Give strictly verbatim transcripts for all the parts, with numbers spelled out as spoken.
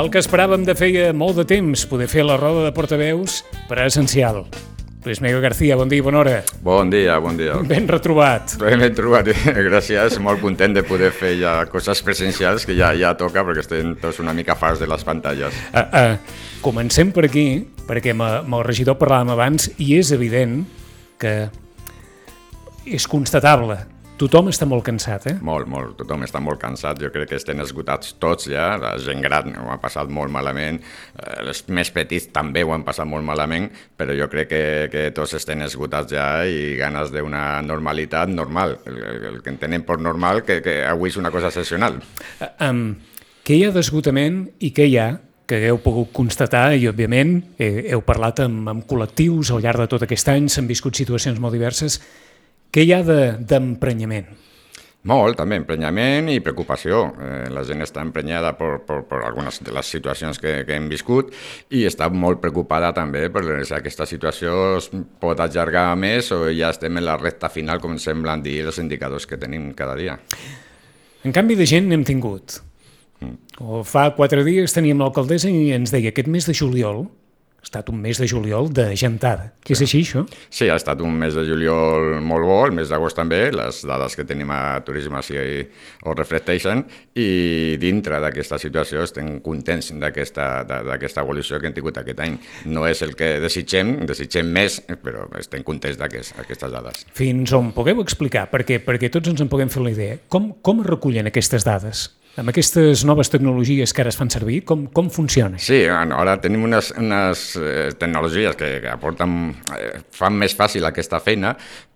El que esperàvem de feia molt de temps, poder fer la roda de portaveus presencial. Luis Miguel García, bon dia i bona hora. Bon dia, bon dia. Ben retrobat. Ben trobat, gràcies. Molt content de poder fer ja coses presencials, que ja, ja toca, perquè estem tots una mica farts de les pantalles. Uh, uh, comencem per aquí, perquè amb el regidor parlàvem abans, i és evident que és constatable. Tothom està molt cansat, eh? Molt, molt. Tothom està molt cansat. Jo crec que estem esgotats tots ja. La gent gran ho ha passat molt malament. Els més petits també ho han passat molt malament, però jo crec que, que tots estem esgotats ja i ganes d'una normalitat normal. El, el que entenem per normal, que, que avui és una cosa excepcional. Uh, um, què hi ha d'esgotament i què hi ha que hagueu pogut constatar i, òbviament, eh, heu parlat amb, amb col·lectius al llarg de tot aquest any, s'han viscut situacions molt diverses. Què hi ha d'emprenyament? Molt, també, emprenyament i preocupació. Eh, la gent està emprenyada per, per, per algunes de les situacions que, que hem viscut i està molt preocupada també per si aquesta situació es pot allargar més o ja estem en la recta final, com semblen dir els indicadors que tenim cada dia. En canvi de gent n'hem tingut. Mm. O fa quatre dies teníem l'alcaldessa i ens deia aquest mes de juliol ha estat un mes de juliol de gentada. Sí. És així, això? Sí, ha estat un mes de juliol molt bo, el mes d'agost també, les dades que tenim a Turisme sí ho reflecteixen, i dintre d'aquesta situació estem contents d'aquesta evolució que hem tingut aquest any. No és el que desitgem, desitgem més, però estem contents d'aquestes dades. Fins on pugueu explicar, perquè, perquè tots ens en puguem fer la idea, com, com es recullen aquestes dades? Amb aquestes noves tecnologies que ara es fan servir, com, com funciona? Sí, bueno, ara tenim unes, unes eh, tecnologies que, que aporten, eh, fan més fàcil aquesta feina,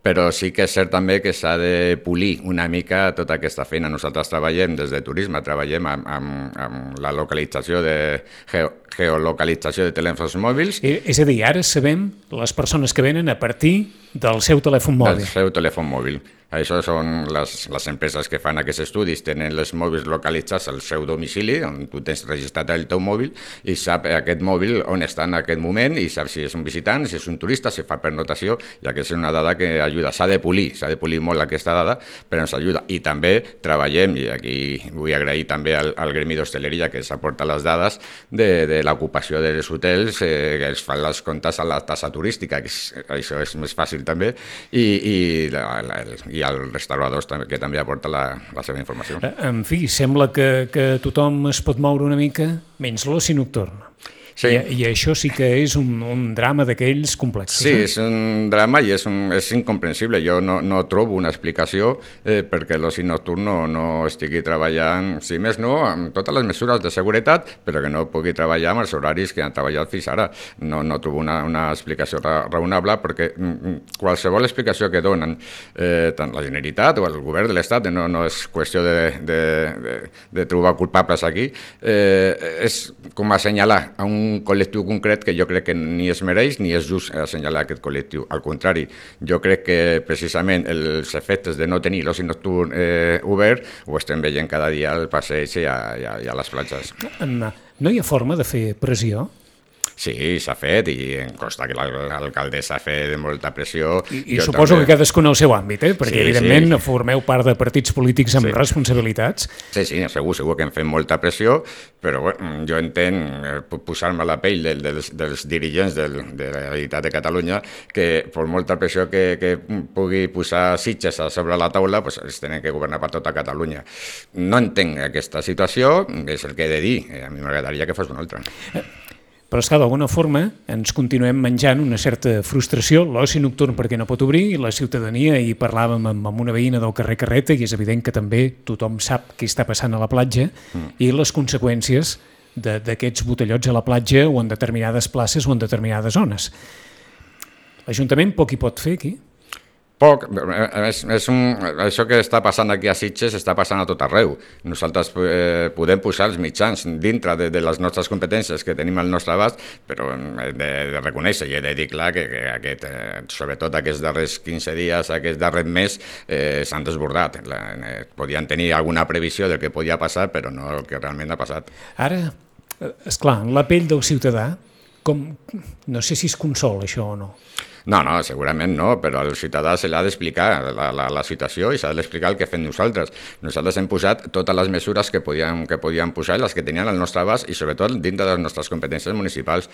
però sí que és cert també que s'ha de polir una mica tota aquesta feina. Nosaltres treballem des de Turisme, treballem amb, amb, amb la localització de geo, geolocalització de telèfons mòbils. Eh, és a dir, ara sabem les persones que venen a partir del seu telèfon mòbil. Del seu telèfon mòbil. Això són les, les empreses que fan aquests estudis, tenen els mòbils localitzats al seu domicili, on tu tens registrat el teu mòbil i sap aquest mòbil on està en aquest moment i sap si és un visitant, si és un turista, si fa pernotació, i aquesta és una dada que ajuda. S'ha de polir, s'ha de polir molt aquesta dada, però ens ajuda. I també treballem, i aquí vull agrair també al, al Gremi d'Hostaleria que ens aporta les dades de, de l'ocupació dels hotels, eh, que els fan les comptes a la tassa turística, que és, això és més fàcil també, i, i la, la, i als restauradors també, que també aporta la, la seva informació. En fi, sembla que, que tothom es pot moure una mica, menys l'oci nocturn. Sí. I, I això sí que és un, un drama d'aquells complexos. Sí, és un drama i és, un, és incomprensible. Jo no, no trobo una explicació eh, perquè l'oci nocturn no, no estigui treballant, si més no, amb totes les mesures de seguretat, però que no pugui treballar amb els horaris que han treballat fins ara. No, no trobo una, una explicació ra raonable, perquè qualsevol explicació que donen eh, tant la Generalitat o el govern de l'Estat, no, no és qüestió de, de, de, de trobar culpables aquí, eh, és com assenyalar a un un col·lectiu concret que jo crec que ni es mereix ni és just assenyalar aquest col·lectiu. Al contrari, jo crec que precisament els efectes de no tenir l'oci nocturn eh, obert ho estem veient cada dia al passeig i a, i a, i a les platges. No hi ha forma de fer pressió? Sí, s'ha fet i em consta que l'alcaldessa ha fet molta pressió. I, i suposo també... que cadascun al seu àmbit, eh? Perquè sí, evidentment sí. Formeu part de partits polítics amb sí. responsabilitats. Sí, sí, segur, segur que hem fet molta pressió, però bueno, jo entenc posar-me a la pell del, dels, dels dirigents del, de la Generalitat de Catalunya que per molta pressió que, que pugui posar Sitges a sobre la taula, pues, es tenen que governar per tota Catalunya. No entenc aquesta situació, és el que he de dir, a mi m'agradaria que fos una altra. Eh. Però és que d'alguna forma ens continuem menjant una certa frustració, l'oci nocturn perquè no pot obrir, i la ciutadania, i parlàvem amb, amb una veïna del carrer Carreta, i és evident que també tothom sap què està passant a la platja, mm. i les conseqüències d'aquests botellots a la platja o en determinades places o en determinades zones. L'Ajuntament poc hi pot fer aquí? Poc, és, és un, això que està passant aquí a Sitges està passant a tot arreu. Nosaltres eh, podem posar els mitjans dintre de, de les nostres competències que tenim al nostre abast, però he de, de reconèixer i he de dir clar que, que aquest, eh, sobretot aquests darrers quinze dies, aquest darrer mes, eh, s'han desbordat. La, eh, podien tenir alguna previsió del que podia passar, però no el que realment ha passat. Ara, esclar, la pell del ciutadà, com, no sé si es consola això o no. No, no, segurament no, però al ciutadà se l'ha d'explicar la, la, la situació i s'ha d'explicar el que fem nosaltres. Nosaltres hem posat totes les mesures que podíem, que podíem posar, les que tenien al nostre abast i sobretot dintre de les nostres competències municipals.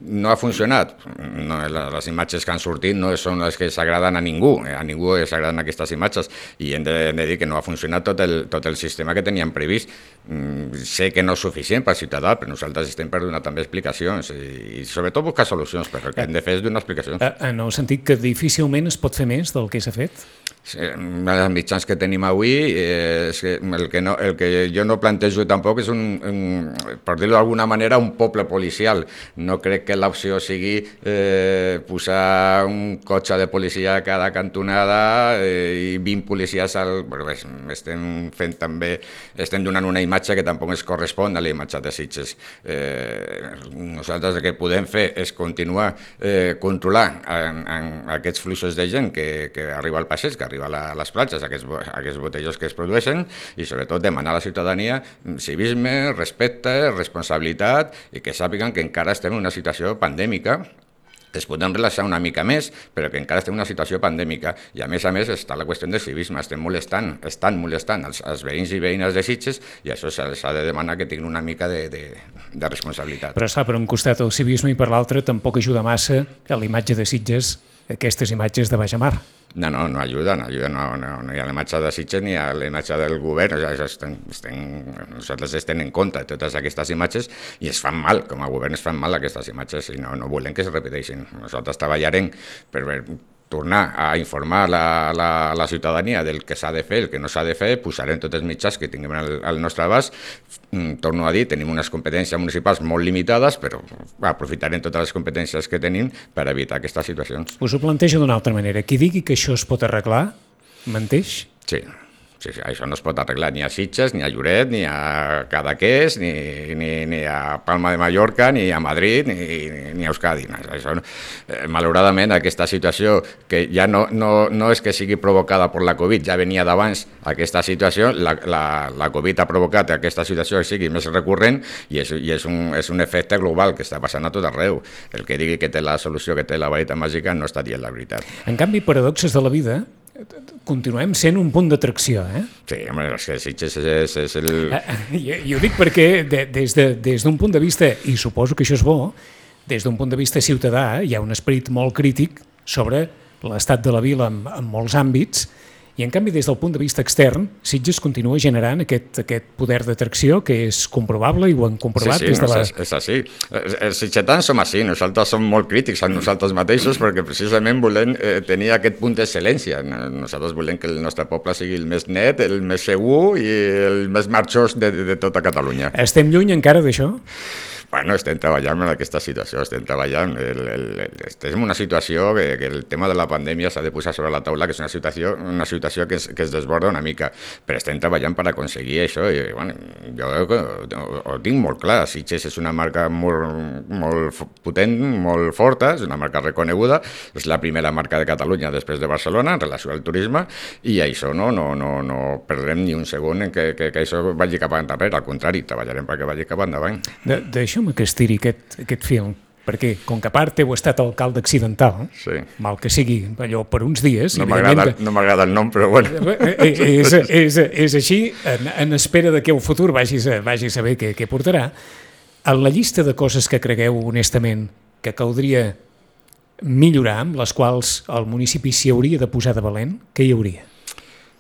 No ha funcionat. No, les imatges que han sortit no són les que s'agraden a ningú, a ningú s'agraden aquestes imatges i hem de, hem de dir que no ha funcionat tot el, tot el sistema que teníem previst. Mm, sé que no és suficient per ciutadà, però nosaltres estem per donar també explicacions i, i sobretot buscar solucions, però el que hem de fer és donar explicacions. En el sentit que difícilment es pot fer més del que s'ha fet? Sí, els mitjans que tenim avui, eh, és que el, que no, el que jo no plantejo tampoc és, un, un, per dir-ho d'alguna manera, un poble policial. No crec que l'opció sigui eh, posar un cotxe de policia a cada cantonada eh, i vint policies al... Però bé, estem fent també, estem donant una imatge que tampoc es correspon a la imatge de Sitges. Eh, nosaltres el que podem fer és continuar eh, controlant en, en aquests fluxos de gent que, que arriba al passeig, que arriba a les platges, aquests, aquests botellors que es produeixen i sobretot demanar a la ciutadania civisme, respecte, responsabilitat i que sàpiguen que encara estem en una situació pandèmica. Es podem relaxar una mica més, però que encara estem en una situació pandèmica i a més a més està la qüestió del civisme, estem molestant, estan molestant els, els veïns i veïnes de Sitges i això s'ha de demanar que tinguin una mica de, de, de responsabilitat. Però esclar, per un costat el civisme i per l'altre tampoc ajuda massa a la imatge de Sitges, aquestes imatges de baix a mar. No, no, no ajuda, no ajuda, no, no, no hi ha la imatge de Sitges ni hi ha la imatge del govern, o sigui, estem, estem, nosaltres estem en compte de totes aquestes imatges i es fan mal, com a govern es fan mal aquestes imatges i no, no volem que es repeteixin. Nosaltres treballarem per tornar a informar la, la, la ciutadania del que s'ha de fer, el que no s'ha de fer, posarem tots els mitjans que tinguem al, al nostre abast. Torno a dir, tenim unes competències municipals molt limitades, però aprofitarem totes les competències que tenim per evitar aquestes situacions. Us ho plantejo d'una altra manera. Qui digui que això es pot arreglar, menteix? Sí. Sí, sí, això no es pot arreglar ni a Sitges, ni a Lloret, ni a Cadaqués, ni, ni, ni a Palma de Mallorca, ni a Madrid, ni, ni a Euskadi. Això, eh, malauradament, aquesta situació, que ja no, no, no és que sigui provocada per la Covid, ja venia d'abans aquesta situació, la, la, la Covid ha provocat que aquesta situació sigui més recurrent i és, i és, un, és un efecte global que està passant a tot arreu. El que digui que té la solució, que té la vareta màgica, no està dient la veritat. En canvi, paradoxes de la vida, continuem sent un punt d'atracció, eh? Sí, home, és que Sitges és, és el... I, i ho dic perquè de, des d'un de, des punt de vista, i suposo que això és bo, des d'un punt de vista ciutadà hi ha un esperit molt crític sobre l'estat de la vila en, en molts àmbits, i en canvi des del punt de vista extern Sitges continua generant aquest, aquest poder d'atracció que és comprovable i ho han comprovat sí, sí, des de la... És, és així. Els sitgetans som així, nosaltres som molt crítics a nosaltres mateixos perquè precisament volem eh, tenir aquest punt d'excel·lència. Nosaltres volem que el nostre poble sigui el més net, el més segur i el més marxós de, de tota Catalunya. Estem lluny encara d'això? Bueno, estem treballant en aquesta situació, estem treballant, el, el, el, estem en una situació que, que el tema de la pandèmia s'ha de posar sobre la taula, que és una situació, una situació que, es, que es desborda una mica, però estem treballant per aconseguir això i bueno, jo ho, ho tinc molt clar, Sitges és una marca molt, molt potent, molt forta, és una marca reconeguda, és la primera marca de Catalunya després de Barcelona en relació al turisme i això no, no, no, no perdrem ni un segon en que, que, que això vagi cap endarrere, al contrari, treballarem perquè vagi cap endavant. D'això que estiri aquest, aquest film, perquè com que a part heu estat alcalde accidental, sí. mal que sigui allò per uns dies... No m'agrada no m'agrada el nom, però bueno. És, és, és així, en, en espera de que el futur vagi a, vagi a saber què, què portarà. En la llista de coses que cregueu honestament que caldria millorar, amb les quals el municipi s'hi hauria de posar de valent, què hi hauria?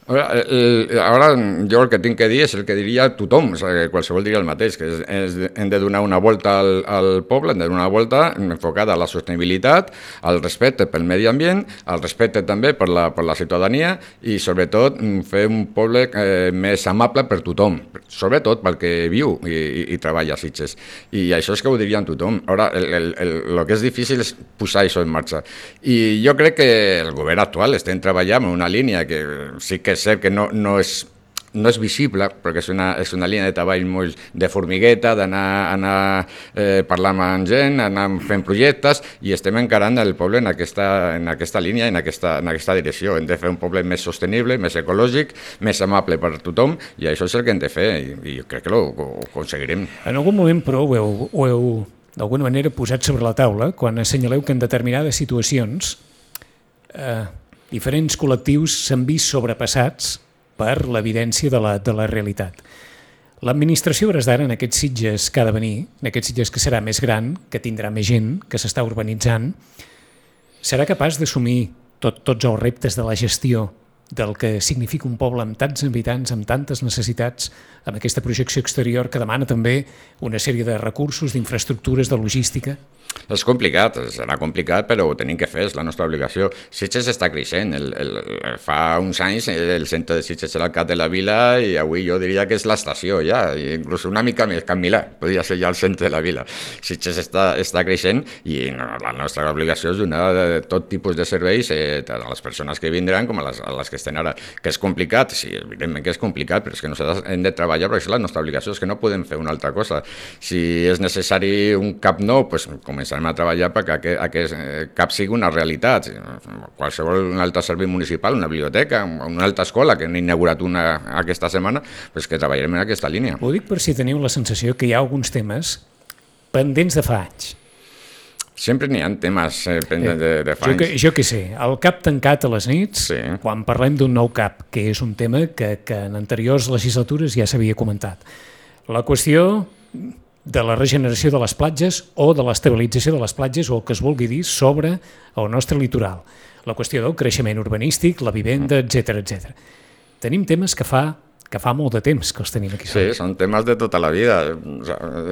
Ara, el, ara jo el que tinc que dir és el que diria tothom, o sigui, qualsevol diria el mateix, que és, és, hem de donar una volta al, al poble, hem de donar una volta enfocada a la sostenibilitat, al respecte pel medi ambient, al respecte també per la, per la ciutadania i sobretot fer un poble eh, més amable per tothom, sobretot pel que viu i, i, i treballa a Sitges. I això és que ho diríem tothom. Ara, el, el, el, el que és difícil és posar això en marxa. I jo crec que el govern actual estem treballant en una línia que sí que és cert que no, no, és, no és visible, perquè és una, és una línia de treball molt de formigueta, d'anar anar, eh, parlant amb gent, anar fent projectes, i estem encarant el poble en aquesta, en aquesta línia, en aquesta, en aquesta direcció. Hem de fer un poble més sostenible, més ecològic, més amable per tothom, i això és el que hem de fer, i, i crec que ho, ho aconseguirem. En algun moment, però, ho heu, ho heu d'alguna manera posat sobre la taula, quan assenyaleu que en determinades situacions eh, diferents col·lectius s'han vist sobrepassats per l'evidència de la, de la realitat. L'administració, hores d'ara, en aquests Sitges que ha de venir, en aquests Sitges que serà més gran, que tindrà més gent, que s'està urbanitzant, serà capaç d'assumir tot, tots els reptes de la gestió del que significa un poble amb tants habitants, amb tantes necessitats, amb aquesta projecció exterior que demana també una sèrie de recursos, d'infraestructures, de logística? És complicat, serà complicat, però ho tenim que fer, és la nostra obligació. Sitges està creixent. El, el, fa uns anys el centre de Sitges era el cap de la vila i avui jo diria que és l'estació ja, inclús una mica més Can Milà, podria ser ja el centre de la vila. Sitges està, està creixent i no, la nostra obligació és donar tot tipus de serveis eh, a les persones que vindran com a les, a les que estan ara. Que és complicat? Sí, evidentment que és complicat, però és que nosaltres hem de treballar perquè és la nostra obligació, és que no podem fer una altra cosa. Si és necessari un cap nou, doncs començarem a treballar perquè aquest, aquest cap sigui una realitat. Qualsevol un altre servei municipal, una biblioteca, una altra escola, que hem inaugurat una aquesta setmana, doncs que treballarem en aquesta línia. Ho dic per si teniu la sensació que hi ha alguns temes pendents de fa anys. Sempre n'hi ha temes eh, pendents de, de fa anys. Jo que, jo que sé, el cap tancat a les nits, sí. Quan parlem d'un nou cap, que és un tema que, que en anteriors legislatures ja s'havia comentat. La qüestió de la regeneració de les platges o de l'estabilització de les platges o el que es vulgui dir sobre el nostre litoral. La qüestió del creixement urbanístic, la vivenda, etcètera, etcètera. Tenim temes que fa que fa molt de temps que els tenim aquí. Sí, són temes de tota la vida.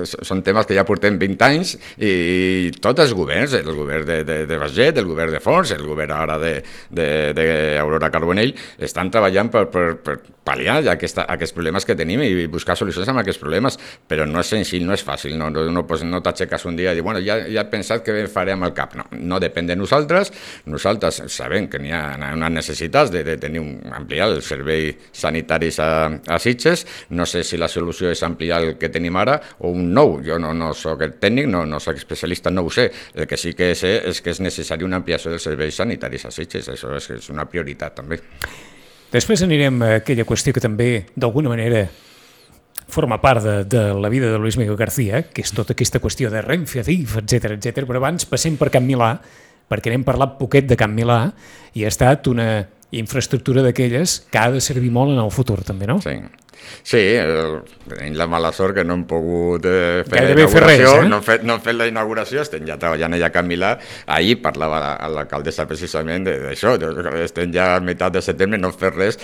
Són temes que ja portem vint anys i tots els governs, el govern de, de, de Baget, el govern de Fons, el govern ara d'Aurora Carbonell, estan treballant per, per, per pal·liar aquesta, aquests problemes que tenim i buscar solucions amb aquests problemes, però no és senzill, no és fàcil. No, no, no, no t'aixeques un dia i dir, bueno, ja, ja he pensat què faré amb el cap. No, no depèn de nosaltres. Nosaltres sabem que n'hi ha unes necessitats de, de tenir un, ampliar el servei sanitari a a Sitges. No sé si la solució és ampliar el que tenim ara o un nou. Jo no, no soc el tècnic, no, no soc especialista, no ho sé. El que sí que sé és que és necessari una ampliació dels serveis sanitaris a Sitges. Això és, és una prioritat també. Després anirem a aquella qüestió que també d'alguna manera forma part de, de la vida de Luis Miguel García, que és tota aquesta qüestió de Renfe, Adif, etcètera, etcètera. Però abans passem per Can Milà, perquè n'hem parlat poquet de Can Milà i ha estat una infraestructura d'aquelles que ha de servir molt en el futur, també, no? Sí. Sí, el, tenim la mala sort que no hem pogut eh, fer Gairebé la inauguració, fer res, eh? no, hem fet, no hem fet la inauguració, estem ja treballant allà a Can Milà. Ahir parlava l'alcaldessa precisament d'això, estem ja a meitat de setembre, no hem fet res.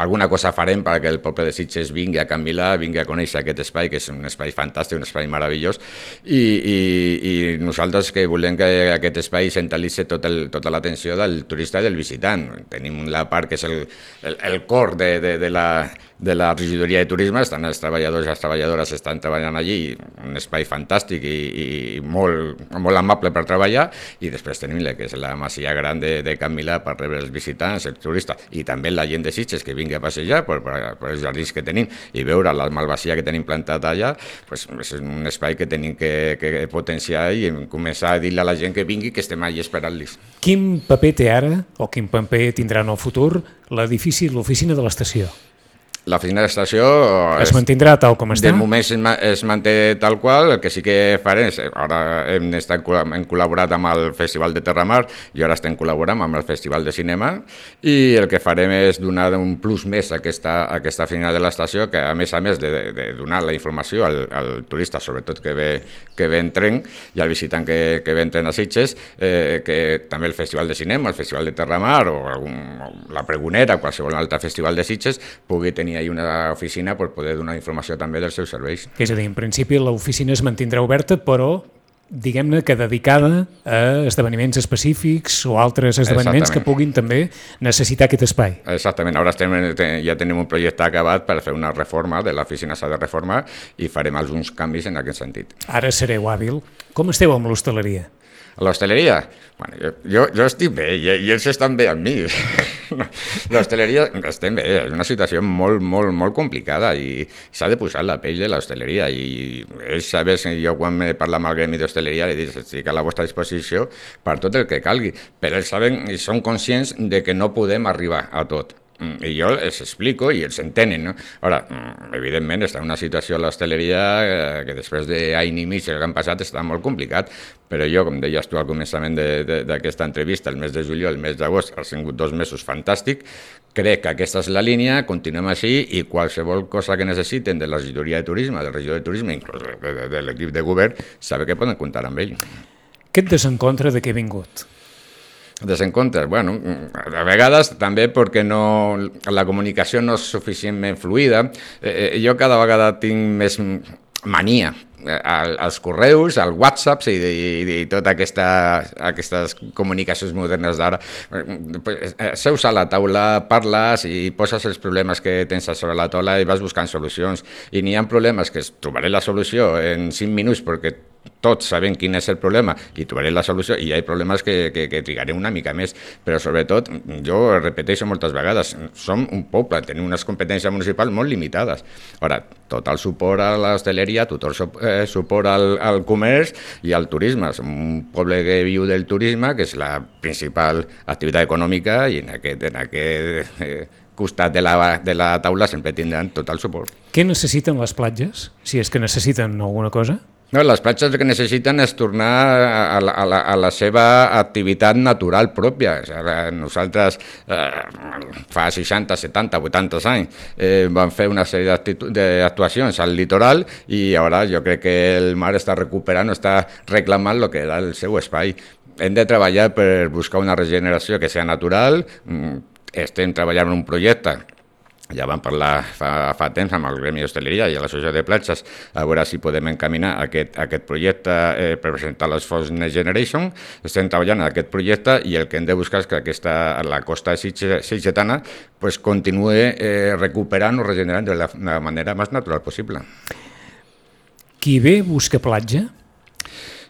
Alguna cosa farem perquè el poble de Sitges vingui a Can Milà, vingui a conèixer aquest espai, que és un espai fantàstic, un espai meravellós, i, i, i nosaltres que volem que aquest espai centralitzi tot el, tota l'atenció del turista i del visitant. Tenim la part que és el, el, el cor de, de, de la de la regidoria de turisme, estan els treballadors i les treballadores estan treballant allí, un espai fantàstic i, i molt, molt amable per treballar, i després tenim la que és la masia gran de, de Can Milà per rebre els visitants, els turistes, i també la gent de Sitges que vingui a passejar per, per, per els jardins que tenim i veure la malvasia que tenim plantat allà, pues, és un espai que tenim que, que potenciar i començar a dir-li a la gent que vingui que estem allà esperant-los. Quin paper té ara, o quin paper tindrà en el futur, l'edifici, l'oficina de l'estació? L'oficina de l'estació es mantindrà tal com està? De moment es, es manté tal qual. El que sí que farem és, ara hem, estat, hem col·laborat amb el Festival de Terramar i ara estem col·laborant amb el Festival de Cinema, i el que farem és donar un plus més a aquesta, a aquesta oficina de l'estació, que a més a més de, de, de donar la informació al, al turista, sobretot que ve, que ve en tren, i al visitant que, que ve en tren a Sitges, eh, que també el Festival de Cinema, el Festival de Terramar o, algun, o la Pregonera, qualsevol altre festival de Sitges, pugui tenir hi una oficina per poder donar informació també dels seus serveis. És a dir, en principi l'oficina es mantindrà oberta, però diguem-ne que dedicada a esdeveniments específics o altres esdeveniments que puguin també necessitar aquest espai. Exactament, ara estem, ja tenim un projecte acabat per fer una reforma de l'oficina, s'ha de reformar, i farem alguns canvis en aquest sentit. Ara sereu hàbil. Com esteu amb l'hostaleria? A l'hostaleria? Bueno, jo, jo, jo estic bé i, i ells estan bé amb mi. L'hostaleria estem bé, és una situació molt, molt, molt complicada i s'ha de posar la pell de l'hostaleria, i ells saben, jo quan me parlo amb el gremi d'hostaleria li dic, estic a la vostra disposició per tot el que calgui, però ells saben i són conscients de que no podem arribar a tot. i jo els explico i els entenen, no? Ara, evidentment, està en una situació a l'hostaleria que després d'any i mig que han passat està molt complicat, però jo, com deies tu al començament d'aquesta entrevista, el mes de juliol, el mes d'agost, han sigut dos mesos fantàstics. Crec que aquesta és la línia, continuem així i qualsevol cosa que necessiten de la regidoria de turisme, del regidor de turisme, inclús de, de, de l'equip de govern, sabe que poden comptar amb ell. Aquest desencontre de què ha vingut? Desencontres, bueno, a vegades també perquè no, la comunicació no és suficientment fluida. Eh, jo cada vegada tinc més mania als correus, al WhatsApp i, i, i totes aquesta, aquestes comunicacions modernes d'ara. Seus a la taula, parles i poses els problemes que tens sobre la taula i vas buscant solucions. I n'hi ha problemes que trobaré la solució en cinc minuts perquè tots sabem quin és el problema i trobaré la solució, i hi ha problemes que, que, que trigaré una mica més, però sobretot, jo repeteixo moltes vegades, som un poble, tenim unes competències municipals molt limitades. Ara, tot el suport a l'hostaleria, tot el eh, suport al, al comerç i al turisme. Som un poble que viu del turisme, que és la principal activitat econòmica, i en aquest, en aquest eh, costat de la, de la taula sempre tindran tot el suport. Què necessiten les platges, si és que necessiten alguna cosa? No, les platges el que necessiten és tornar a la, a la, a la seva activitat natural pròpia. O sigui, nosaltres eh, fa seixanta, setanta, vuitanta anys eh, vam fer una sèrie d'actuacions al litoral i ara jo crec que el mar està recuperant, està reclamant el que era el seu espai. Hem de treballar per buscar una regeneració que sigui natural. Estem treballant en un projecte, ja vam parlar fa, fa temps amb el Gremi d'Hostaleria i l'Associació de Platges, a veure si podem encaminar aquest, aquest projecte eh, per presentar les Fons Next Generation. Estem treballant en aquest projecte i el que hem de buscar és que aquesta, la costa sitgetana pues, continuï eh, recuperant o regenerant de la, la manera més natural possible. Qui ve busca platja?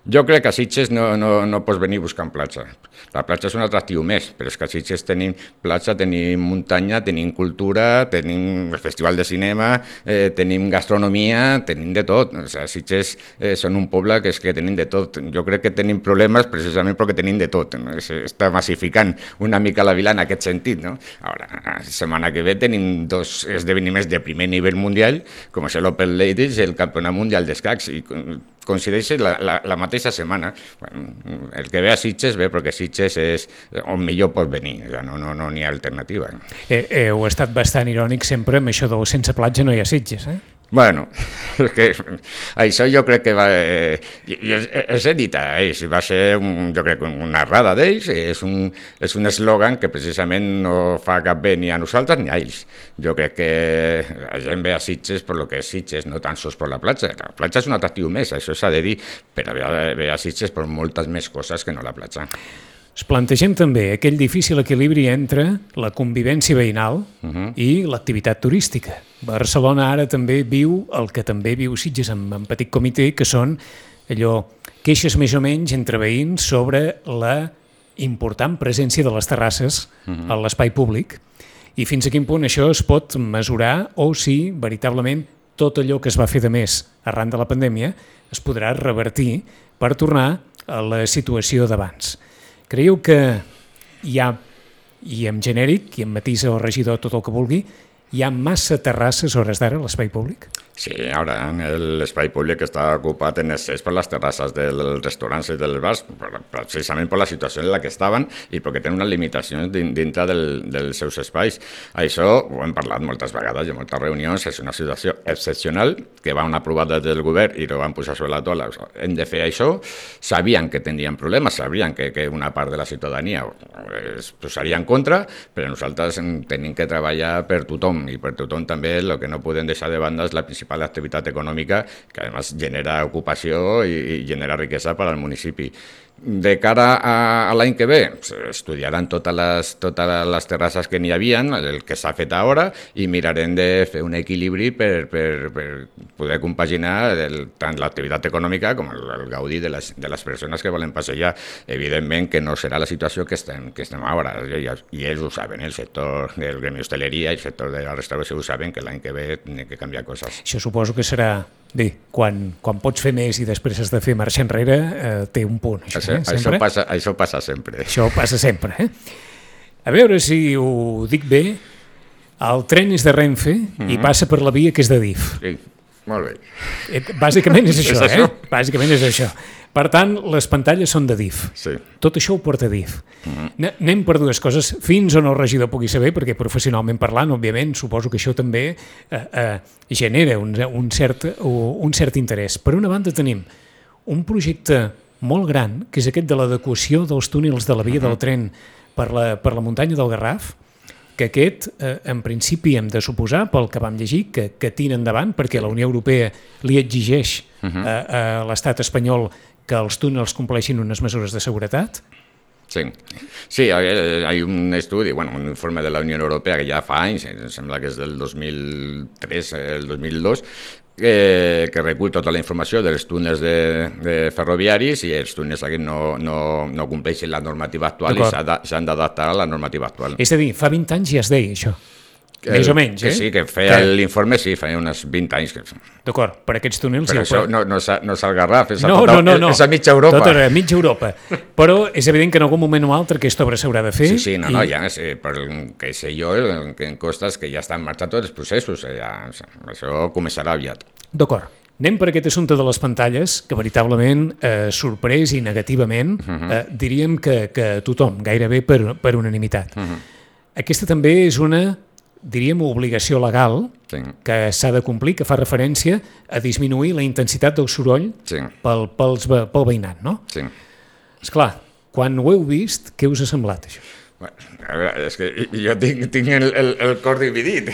Jo crec que a Sitges no, no, no pots venir buscant platja. La platja és un atractiu més, però és que a Sitges tenim platja, tenim muntanya, tenim cultura, tenim el festival de cinema, eh, tenim gastronomia, tenim de tot. O sigui, Sitges eh, són un poble que és que tenim de tot. Jo crec que tenim problemes precisament perquè tenim de tot. No? Està massificant una mica la vila en aquest sentit. No? Ara, la setmana que ve tenim dos esdeveniments de primer nivell mundial, com és l'Open Ladies i el Campionat Mundial d'Escacs, i coincideix la, la, la mateixa setmana. Bueno, el que ve a Sitges ve perquè Sitges és on millor pot venir, no, no, no n'hi ha alternativa. Eh, eh, heu estat bastant irònic sempre amb això del sense platja no hi ha Sitges, eh? Bueno, és que això jo crec que va... Eh, els he dit a ells, va ser un, jo crec una errada d'ells, és un, és un eslògan que precisament no fa cap bé ni a nosaltres ni a ells. Jo crec que la gent ve a Sitges per lo que és Sitges, no tan sols per la platja. La platja és un atractiu més, això s'ha de dir, però ve a Sitges per moltes més coses que no la platja. Es plantegem també aquell difícil equilibri entre la convivència veïnal uh-huh. i l'activitat turística. Barcelona ara també viu el que també viu Sitges en, en petit comitè, que són allò queixes més o menys entre veïns sobre la important presència de les terrasses uh-huh. a l'espai públic i fins a quin punt això es pot mesurar o si veritablement tot allò que es va fer de més arran de la pandèmia es podrà revertir per tornar a la situació d'abans. Creieu que hi ha, i en genèric, i en matisa o regidor tot el que vulgui, hi ha massa terrasses a hores d'ara a l'espai públic? Sí, ara l'espai públic està ocupat en excés per les terrasses dels restaurants i dels bars, precisament per la situació en la que estaven i perquè tenen unes limitacions dintre del, dels seus espais. Això ho hem parlat moltes vegades i en moltes reunions, és una situació excepcional que van aprovar des del govern i ho van posar sobre la taula. Hem de fer això, sabien que tindrien problemes, sabien que, que una part de la ciutadania es posaria en contra, però nosaltres tenim que treballar per tothom i per tothom també el que no podem deixar de banda és la principal activitat econòmica que a més genera ocupació i, i genera riquesa per al municipi. De cara a, a l'any que ve, estudiaran totes les, totes les terrasses que n'hi havia, el que s'ha fet ara, i mirarem de fer un equilibri per, per, per poder compaginar el, tant l'activitat econòmica com el, el gaudi de les, de les persones que volen passejar. Evidentment que no serà la situació que estem, que estem ara, i, i ells ho saben, el sector del gremi d'hostaleria i el sector de la restauració ho saben, que l'any que ve hem de canviar coses. Això suposo que serà... Bé, quan, quan pots fer més i després has de fer marxa enrere, eh, té un punt. Això, això, eh, això, passa, això passa sempre. Això passa sempre. Eh? A veure si ho dic bé, El tren és de Renfe mm-hmm. i passa per la via que és de D I F. Sí, molt bé. Bàsicament és això, és això. eh? Bàsicament és això. Per tant, les pantalles són de D I F. Sí. Tot això ho porta D I F. Mm-hmm. Anem per dues coses, fins on el regidor pugui saber, perquè professionalment parlant, òbviament, suposo que això també eh, eh, genera un, un, cert, un cert interès. Per una banda tenim un projecte molt gran, que és aquest de l'adequació dels túnels de la via mm-hmm. del tren per la, per la muntanya del Garraf, que aquest, eh, en principi, hem de suposar, pel que vam llegir, que, que tira endavant, perquè la Unió Europea li exigeix uh-huh. a, a l'estat espanyol que els túnels compleixin unes mesures de seguretat. Sí, sí, hi ha un estudi, bueno, un informe de la Unió Europea que ja fa anys, sembla que és del dos mil tres, el dos mil dos, que, que recull tota la informació dels túnels de, de ferroviaris i els túnels aquests no, no, no compleixen la normativa actual i s'han d'adaptar a la normativa actual. És a dir, fa vint anys ja es deia això. Que, més o menys, que eh? sí, que feia que... l'informe, sí, feia uns vint anys. Que... D'acord, per aquests túnels... Però això no, no, no és el Garraf, és, no, a, tota, no, no, no. és a mitja Europa. Tot era mitja Europa. Però és evident que en algun moment o altre aquesta obra s'haurà de fer. Sí, sí, no, i... no, ja sé, per que sé jo, el que em costa és que ja estan marxant tots els processos, ja, això començarà aviat. D'acord. Anem per aquest assumpte de les pantalles, que veritablement eh, sorprès i negativament uh-huh. eh, diríem que, que tothom, gairebé per, per unanimitat. Uh-huh. Aquesta també és una... diríem, obligació legal sí. que s'ha de complir, que fa referència a disminuir la intensitat del soroll sí. pel, pels, pel veïnat, no? Sí. Esclar, quan ho heu vist, què us ha semblat, això? Bueno, a veure, és que jo tinc, tinc el, el, el cor dividit.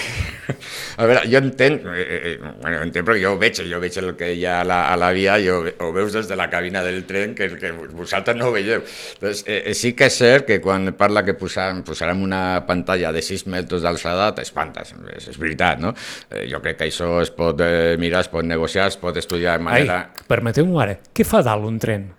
A veure, jo entenc, eh, bueno, entenc perquè jo ho veig, jo veig el que hi ha a la, a la via, jo, ho veus des de la cabina del tren, que, que vosaltres no ho veieu. Entonces, eh, sí que és cert que quan parla que posarem, posarem una pantalla de sis metres d'alçada, t'espantes, és, és veritat, no? Eh, jo crec que això es pot eh, mirar, es pot negociar, es pot estudiar de manera... Ai, permeteu-m'ho ara, què fa dalt un tren?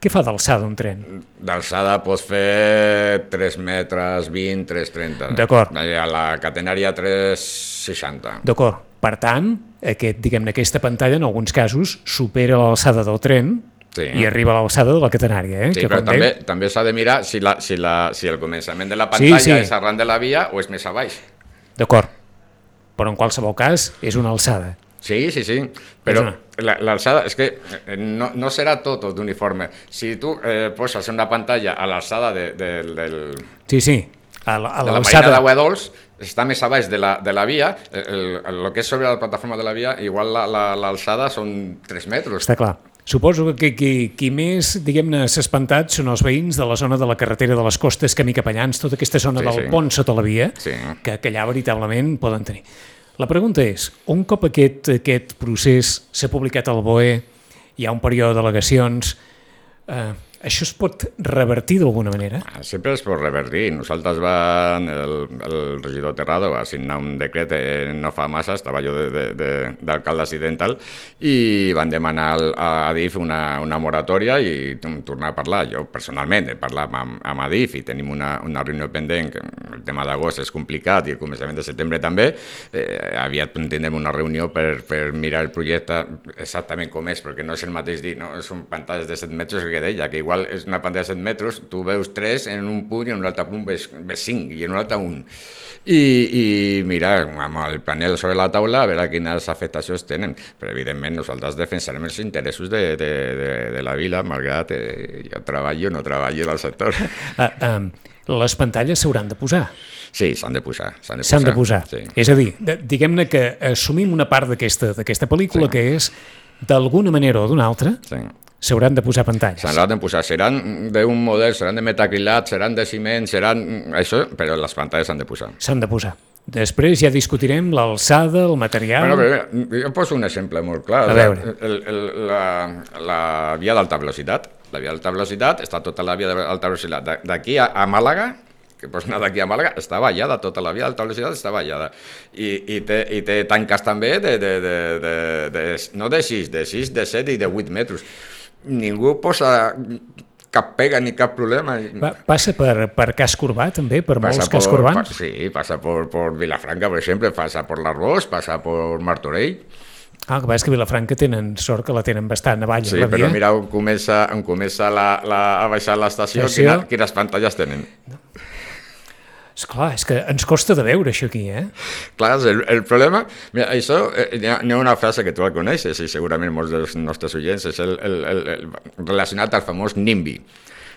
Què fa d'alçada un tren? D'alçada pots fer tres metres vint, tres trenta. D'acord. A la catenària tres seixanta. D'acord. Per tant, aquest, diguem-ne, aquesta pantalla en alguns casos supera l'alçada del tren sí. i arriba a l'alçada de la catenària. Eh? Sí, que però també, deia... també s'ha de mirar si, la, si, la, si el començament de la pantalla sí, sí. és arran de la via o és més a baix. D'acord. Però en qualsevol cas és una alçada. Sí, sí, sí, però l'alçada, és que no, no serà tot d'uniforme. Si tu eh, poses una pantalla a l'alçada de, de, del, sí, sí. A la, a de la marina d'Aigua Dols, està més a baix de la, de la via, el, el, el que és sobre la plataforma de la via, igual l'alçada la, la, són tres metres. Està clar. Suposo que qui, qui més, diguem-ne, s'ha espantat són els veïns de la zona de la carretera de les Costes, Camí Capellans, tota aquesta zona sí, del sí. pont sota la via, sí. que, que allà veritablement poden tenir. La pregunta és, un cop aquest, aquest procés s'ha publicat al B O E, hi ha un període d'al·legacions, eh, això es pot revertir d'alguna manera? Sempre es pot revertir. Nosaltres van, el, el regidor Terrado va signar un decret eh, no fa massa, estava jo d'alcalde accidental, i van demanar a Adif una, una moratòria i tornar a parlar. Jo personalment he parlat amb, amb Adif i tenim una, una reunió pendent, que el tema d'agost és complicat i el començament de setembre també. Eh, aviat tindrem una reunió per, per mirar el projecte exactament com és, perquè no és el mateix dir, no? Són pantalles de set metres que deia, que igual és una pantalla de set metres, tu veus tres en un punt i en un altre punt ves, ves cinc i en un altre un. I, i mirar amb el panel sobre la taula a veure quines afectacions tenen. Però evidentment nosaltres defensarem els interessos de, de, de, de la vila, malgrat eh, jo treballo o no treballo del sector. Uh, um, les pantalles s'hauran de posar. Sí, s'han de posar. S'han de posar. De posar. Sí. És a dir, diguem-ne que assumim una part d'aquesta pel·lícula sí. que és, d'alguna manera o d'una altra, sí. s'hauran de posar pantalles. S'hauran de posar, seran d'un model, seran de metacrilat, seran de ciment, seran això, però les pantalles s'han de posar. S'han de posar. Després ja discutirem l'alçada, el material... Bueno, però, jo poso un exemple molt clar. A veure. El, el, la, la via d'alta velocitat, la via d'alta velocitat, està tota la via d'alta velocitat. D'aquí a, a Màlaga, que pots anar d'aquí a Màlaga, està vallada, tota la via d'alta velocitat està vallada. I, i, té, i té tanques també de, de, de, de, de, no de sis, de sis, de set i de vuit metres. Ningú posa cap pega ni cap problema. Va, passa per, per casc urbà, també, per passa molts cascs urbans? Pa, sí, passa per, per Vilafranca, per exemple, passa per l'Arbós, passa per Martorell. Ah, el que passa és que Vilafranca tenen sort que la tenen bastant avall. Sí, la via. Però mira on comença, on comença la, la, a baixar l'estació, quina, quines pantalles tenen. Esclar, és que ens costa de veure això aquí, eh? Clar, el, el problema... Mira, això, eh, hi, ha, hi ha una frase que tu la coneixes i segurament molts dels nostres oients, és el, el, el, el, relacionat al famós NIMBY.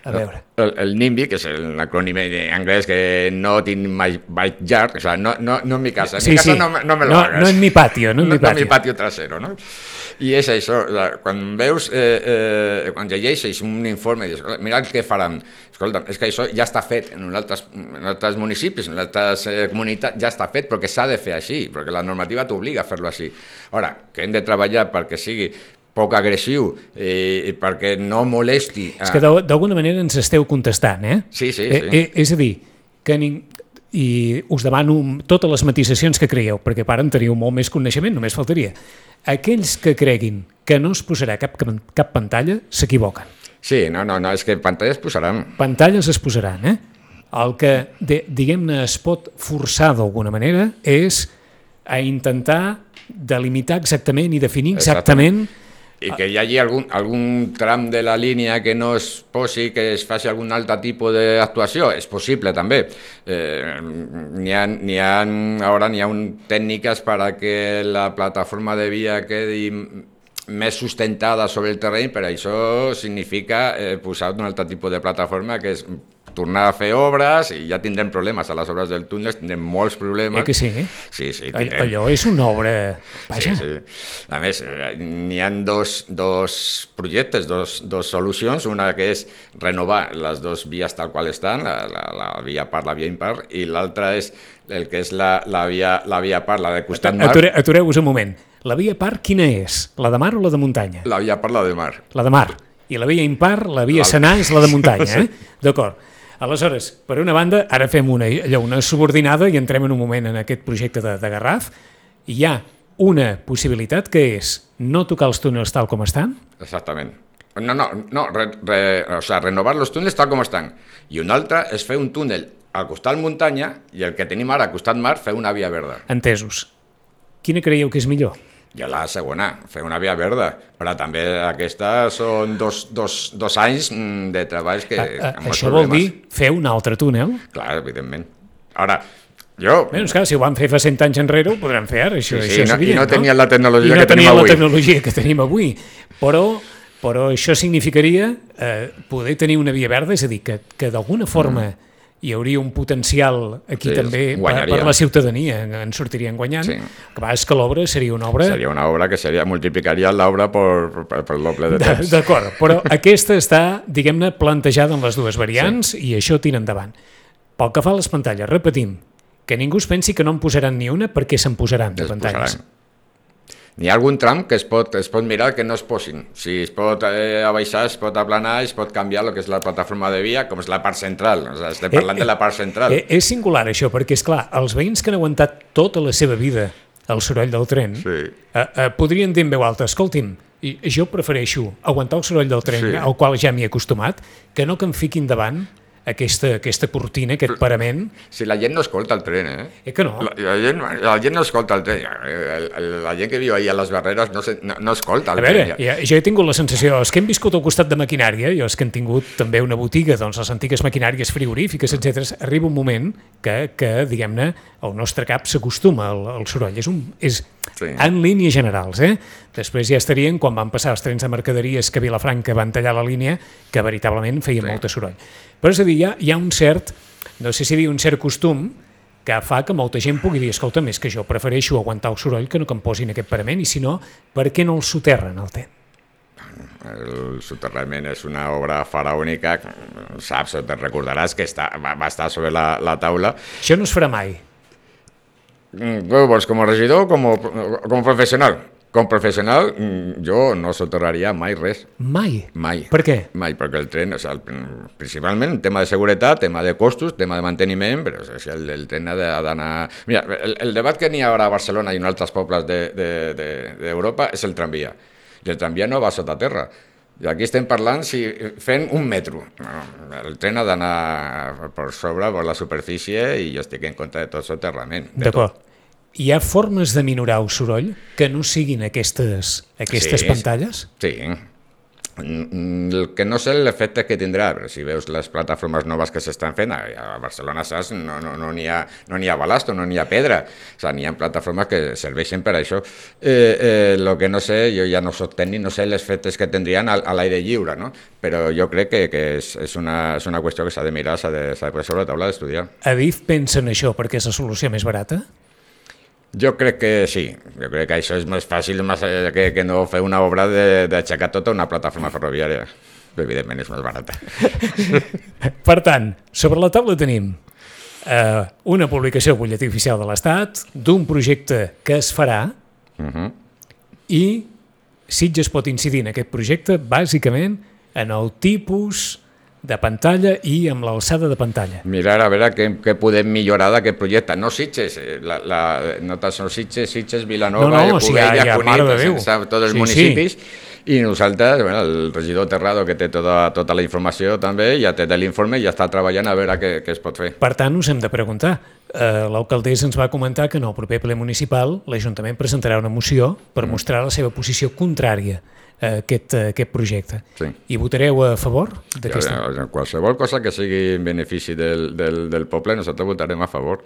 A veure. El, el NIMBY, que és l'acrònim anglès que no tinc mai backyard, o sea, no, no, no en mi casa, en sí, mi casa sí. no, no me lo no, hagas. No en mi patio, no en mi no, patio. No en mi patio trasero, no? I és això, quan veus, eh, eh, quan llegeixes un informe, dius, mira el que faran, escolta, és que això ja està fet en altres, en altres municipis, en altres eh, comunitats, ja està fet, perquè s'ha de fer així, perquè la normativa t'obliga a fer-lo així. Ara, que hem de treballar perquè sigui poc agressiu eh, perquè no molesti... A... És que d'alguna manera ens esteu contestant, eh? Sí, sí, eh, sí. Eh, és a dir, que ning... i us demano totes les matisacions que creieu, perquè per en teniu molt més coneixement, només faltaria. Aquells que creguin que no es posarà cap, cap pantalla s'equivoquen. Sí, no, no, no, és que pantalles posaran. Pantalles es posaran, eh? El que, de, diguem-ne, es pot forçar d'alguna manera és a intentar delimitar exactament i definir exactament, exactament i que hi hagi algun, algun tram de la línia que no es posi, que es faci algun altre tipus d'actuació, és possible també. Eh, n'hi ha, n'hi ha, ara n'hi ha un, tècniques per a que la plataforma de via quedi més sustentada sobre el terreny, però això significa eh, posar un altre tipus de plataforma que és tornar a fer obres i ja tindrem problemes a les obres del túnel, tindrem molts problemes. Eh que sí? Sí, sí, tindrem. Allò és una obra... Vaja. Sí, sí. A més, n'hi ha dos, dos projectes, dos, dos solucions, una que és renovar les dues vies tal qual estan, la, la, la via par, la via impar, i l'altra és el que és la, la, via, la via par, la de costat mar. Ature, atureu-vos un moment. La via par quina és? La de mar o la de muntanya? La via par, la de mar. La de mar. I la via impar, la via senar, és la de muntanya, eh? D'acord. Aleshores, per una banda, ara fem una, allò, una subordinada i entrem en un moment en aquest projecte de, de Garraf. Hi ha una possibilitat que és no tocar els túnels tal com estan. Exactament. No, no, no re, re, o sea, renovar els túnels tal com estan. I una altra és fer un túnel al costat muntanya i el que tenim ara al costat mar, fer una via verda. Entesos. Quina creieu que és millor? Jo la segona, fer una via verda, però també aquesta són dos, dos, dos anys de treballs que... A, a, això vol dir fer un altre túnel? Clar, evidentment. Ara, jo... Bé, doncs clar, si ho van fer fa cent anys enrere, ho podran fer ara, això, sí, sí, això és no, evident, no? I no tenien la tecnologia I no que tenim avui. la tecnologia que tenim avui, però, però això significaria eh, poder tenir una via verda, és a dir, que, que d'alguna forma... Mm. hi hauria un potencial aquí sí, també per, per la ciutadania, en sortirien guanyant. Sí. Que va, és que l'obra seria una obra... Seria una obra que seria, multiplicaria l'obra per, per, per el doble de temps. D'acord, però aquesta està, diguem-ne, plantejada en les dues variants sí. I això tira endavant. Pel que fa a les pantalles, repetim, que ningú es pensi que no en posaran ni una perquè se'n posaran de es pantalles. Posaran. N'hi ha algun tram que es pot, es pot mirar que no es posin. Si es pot eh, abaixar, es pot aplanar, es pot canviar el que és la plataforma de via, com és la part central. O sigui, estem parlant eh, de la part central. Eh, és singular això, perquè, és clar, els veïns que han aguantat tota la seva vida el soroll del tren sí. eh, eh, podrien dir en veu alta, escolti'm, jo prefereixo aguantar el soroll del tren, sí. al qual ja m'hi he acostumat, que no que em fiquin davant aquesta, aquesta cortina, aquest parament. Si la gent no escolta el tren, eh? Eh que no? La, la, gent, la gent no escolta el tren. La, la gent que viu ahí a les Barreres no, se, no, no escolta el tren. A veure, tren. Ja, jo he tingut la sensació, els que hem viscut al costat de maquinària, i els que han tingut també una botiga, doncs les antigues maquinàries frigorífiques, etcètera, arriba un moment que, que diguem-ne, el nostre cap s'acostuma al, al soroll. És, un, és sí. En línies generals, eh? Després ja estarien quan van passar els trens de mercaderies que a Vilafranca van tallar la línia, que veritablement feien sí. molt de soroll. Però és a dir, hi ha, hi ha un cert, no sé si dir un cert costum, que fa que molta gent pugui dir, escolta, més que jo prefereixo aguantar el soroll que no que em posin aquest parament, i si no, per què no el soterren el tren? El soterrament és una obra faraònica, saps, te recordaràs que està, va, va estar sobre la, la taula. Això no es farà mai. Què vols, com a regidor o com, com a professional? Com professional, jo no soterraria mai res. Mai? Mai. Per què? Mai, perquè el tren, o sigui, principalment, tema de seguretat, tema de costos, tema de manteniment, però o sigui, el, el tren ha d'anar... Mira, el, el debat que n'hi ha ara a Barcelona i en altres pobles d'Europa de, de, de, és el tramvia. I el tramvia no va sota terra. I aquí estem parlant si fent un metro. El tren ha d'anar per sobre, per la superfície, i jo estic en contra de tot soterrament. D'acord. Hi ha formes de minorar el soroll que no siguin aquestes, aquestes sí, pantalles? Sí, El que no sé l'efecte que tindrà, però si veus les plataformes noves que s'estan fent, a Barcelona, saps, no n'hi no, no ha, no ha balasto, no n'hi ha pedra, o sigui, n'hi ha plataformes que serveixen per això. Eh, eh, lo que no sé, jo ja no soc tècnic, no sé els efectes que tindrien a, a l'aire lliure, no? Però jo crec que, que és, és, una, és una qüestió que s'ha de mirar, s'ha de, s'ha de posar sobre la taula d'estudiar. Adif pensa en això perquè és la solució més barata? Jo crec que sí, jo crec que això és més fàcil més que, que no fer una obra d'aixecar tota una plataforma ferroviària. Evidentment és més barata. Per tant, sobre la taula tenim eh, una publicació al butlletí oficial de l'Estat d'un projecte que es farà uh-huh. i Sitges pot incidir en aquest projecte bàsicament en el tipus de pantalla i amb l'alçada de pantalla. Mirar a veure què, què podem millorar d'aquest projecte. No Sitges, la, la, no tant són Sitges, Sitges, Vilanova, no, no, Cubella, si Cunit, tots els sí, municipis, sí. I nosaltres, bueno, el regidor Terrado, que té tota, tota la informació també, ja té l'informe i ja està treballant a veure què, què es pot fer. Per tant, us hem de preguntar. Uh, L'alcaldessa ens va comentar que en el proper ple municipal l'Ajuntament presentarà una moció per mm. mostrar la seva posició contrària a aquest, a aquest projecte. Sí. I votareu a favor d'aquesta? Ja, qualsevol cosa que sigui en benefici del, del, del poble, nosaltres votarem a favor.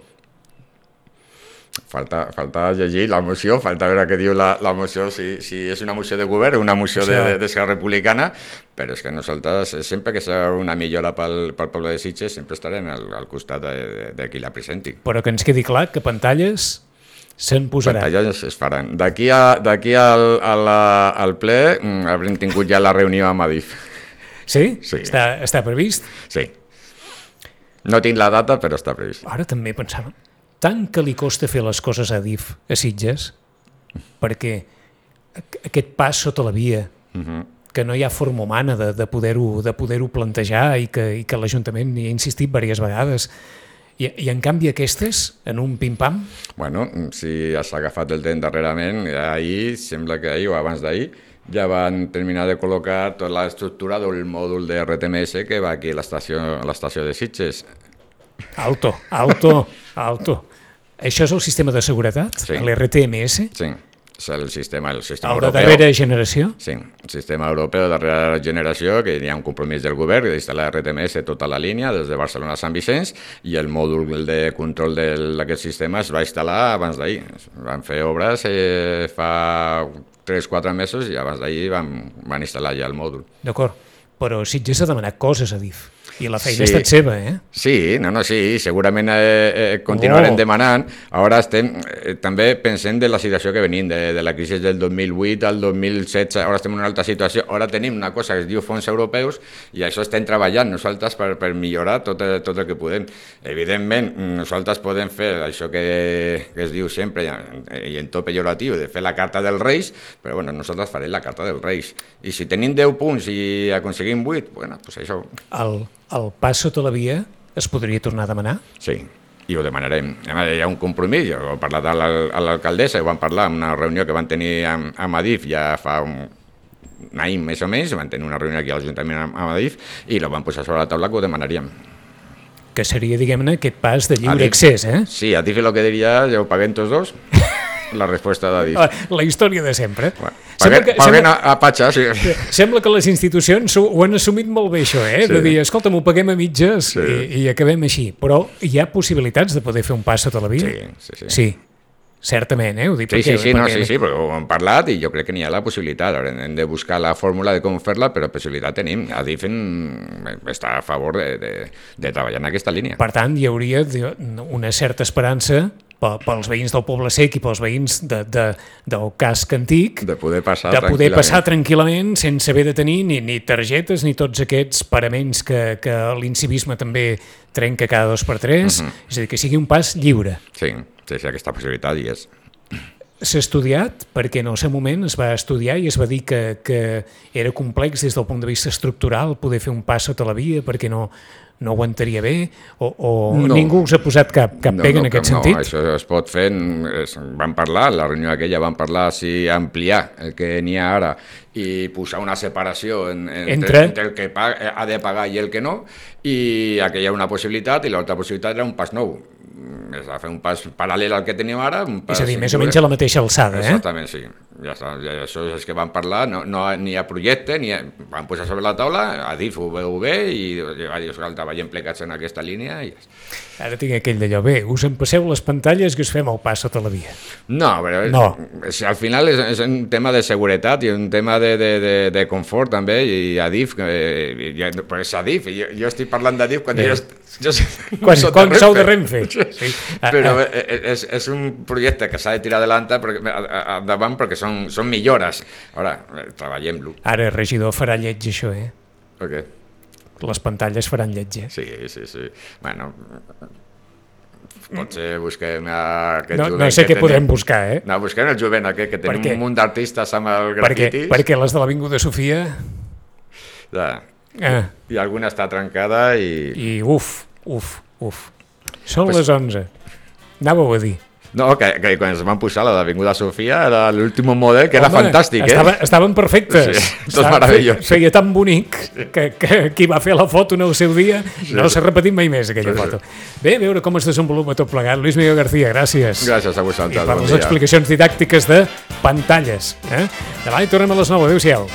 Falta, falta llegir la moció, falta veure què diu la, la moció, si, si és una moció de govern o una moció d'Esquerra Republicana, però és que nosaltres, sempre que sigui una millora pel, pel poble de Sitges, sempre estarem al, al costat de, de, de qui la presenti. Però que ens quedi clar que pantalles se'n posaran. Pantalles es faran. D'aquí d'aquí al, al, al ple haurem tingut ja la reunió amb Adif. Sí? Sí. Està, està previst? Sí. No tinc la data, però està previst. Ara també pensava, tant que li costa fer les coses a Adif, a Sitges, perquè aquest pas sota la via, uh-huh. que no hi ha forma humana de, de poder-ho de poder-ho plantejar i que, i que l'Ajuntament hi ha insistit diverses vegades, I, i en canvi aquestes, en un pim-pam? Bueno, si has agafat el temps darrerament, ahir, sembla que ahir o abans d'ahir, ja van terminar de col·locar tota l'estructura del mòdul de R T M S que va aquí a l'estació de Sitges. Alto, alto, alto. Això és el sistema de seguretat? Sí. L'R T M S? Sí, és el sistema, el sistema el europeu. El de darrera generació? Sí, el sistema europeu de darrera generació, que hi ha un compromís del govern d'instal·lar R T M S tota la línia, des de Barcelona a Sant Vicenç, i el mòdul de control d'aquest sistema es va instal·lar abans d'ahir. Van fer obres eh, fa tres o quatre mesos i abans d'ahir van, van instal·lar ja el mòdul. D'acord, però Sitges ha demanat coses a Adif. I la feina sí. ha estat seva, eh? Sí, no, no, sí, segurament eh, eh, continuarem oh. demanant. Ara estem, eh, també pensem de la situació que venim, de, de la crisi del dos mil vuit al dos mil setze, ara estem en una altra situació, ara tenim una cosa que es diu fons europeus i això estem treballant nosaltres per, per millorar tot, tot el que podem. Evidentment, nosaltres podem fer això que, que es diu sempre, i en tot pejoratiu, de fer la carta dels Reis, però bueno, nosaltres farem la carta dels Reis. I si tenim deu punts i aconseguim vuit, bueno, doncs això... El... El pas sota la via es podria tornar a demanar? Sí, i ho demanarem. Hi ha un compromís, jo he parlat a l'alcaldessa, ho vam parlar en una reunió que van tenir amb, amb Adif ja fa un, un any més o menys, van tenir una reunió aquí a l'Ajuntament amb, amb Adif i la van posar sobre la taula que ho demanaríem. Que seria, diguem-ne, aquest pas de lliure Adif, accés, eh? Sí, Adif el que diria, ja ho paguem tots dos. La resposta d'Adif. La, la història de sempre. Bueno, paguen que, paguen sembla, a, a Patxa, sí. Sembla que les institucions ho, ho han assumit molt bé, això, eh? Sí. De dir, escolta'm, ho paguem a mitges sí. i, i acabem així. Però hi ha possibilitats de poder fer un pas sota la via? Sí, sí, sí. Sí, certament, eh? Ho dic sí, perquè, sí, sí, perquè... no, sí, sí, però ho hem parlat i jo crec que n'hi ha la possibilitat. Ara hem de buscar la fórmula de com fer-la, però possibilitat tenim. Adif està a favor de, de, de treballar en aquesta línia. Per tant, hi hauria una certa esperança pels veïns del Poble Sec i pels veïns de, de, del casc antic de poder passar, de poder tranquil·lament. passar tranquil·lament sense haver de tenir ni, ni targetes ni tots aquests paraments que, que l'incivisme també trenca cada dos per tres, uh-huh. és a dir, que sigui un pas lliure. Sí, sí, sí, aquesta possibilitat hi és. S'ha estudiat, perquè en el seu moment es va estudiar i es va dir que, que era complex des del punt de vista estructural poder fer un pas sota la via perquè no, no aguantaria bé o, o no. Ningú us ha posat cap, cap no, pega no, en aquest no, sentit? No, això es pot fer, es, van parlar, la reunió aquella van parlar si ampliar el que n'hi ha ara i posar una separació en, en, entre... entre el que paga, ha de pagar i el que no, i aquella una possibilitat i l'altra possibilitat era un pas nou. És a fer un pas paral·lel al que tenim ara. Un pas és a dir, més o menys a la mateixa alçada, eh? Exactament, sí. ja està, això és que van parlar, no, no ni hi ha projecte, ni ha, van posar sobre la taula, Adif ho veu bé i va dir, escolta, vagin plegats en aquesta línia i ja està. Ara tinc aquell d'allò, bé, us empasseu les pantalles que us fem el pas sota la via. No, però no. És, al final és, és un tema de seguretat i un tema de, de, de, de confort també, i Adif, eh, ja, però és Adif, jo, jo estic parlant d'Adif quan eh. jo, jo quan, quan sou de Renfe. Sí. Però és, és un projecte que s'ha de tirar endavant perquè, endavant perquè són, són millores. Ara, treballem-lo. Ara, regidor, farà lleig això, eh? Per què? Les pantalles faran lleig, eh? Sí, sí, sí. Bueno, potser busquem aquest no, jovent no sé que què tenim. podem buscar, eh? No, busquem el jovent aquest, que tenim un munt d'artistes amb el grafitis. Perquè, perquè les de l'Avinguda Sofia... Ja. Ah. I alguna està trencada i... I uf, uf, uf. Són pues... les onze. Anàveu a dir. No, que, que quan es van posar la d'Avinguda Sofia era l'últim model, que Home, era fantàstic, estava, eh? Estaven perfectes. Sí, tot meravellós. Feia tan bonic que, que qui va fer la foto en el seu dia sí, no s'ha repetit mai més aquella sí, foto. Sí. Bé, a veure com es desenvolupa tot plegat. Luis Miguel García, gràcies. Gràcies a vosaltres. I per bon les dia. Explicacions didàctiques de pantalles. Eh? Demà hi tornem a les nou. Adéu-siau.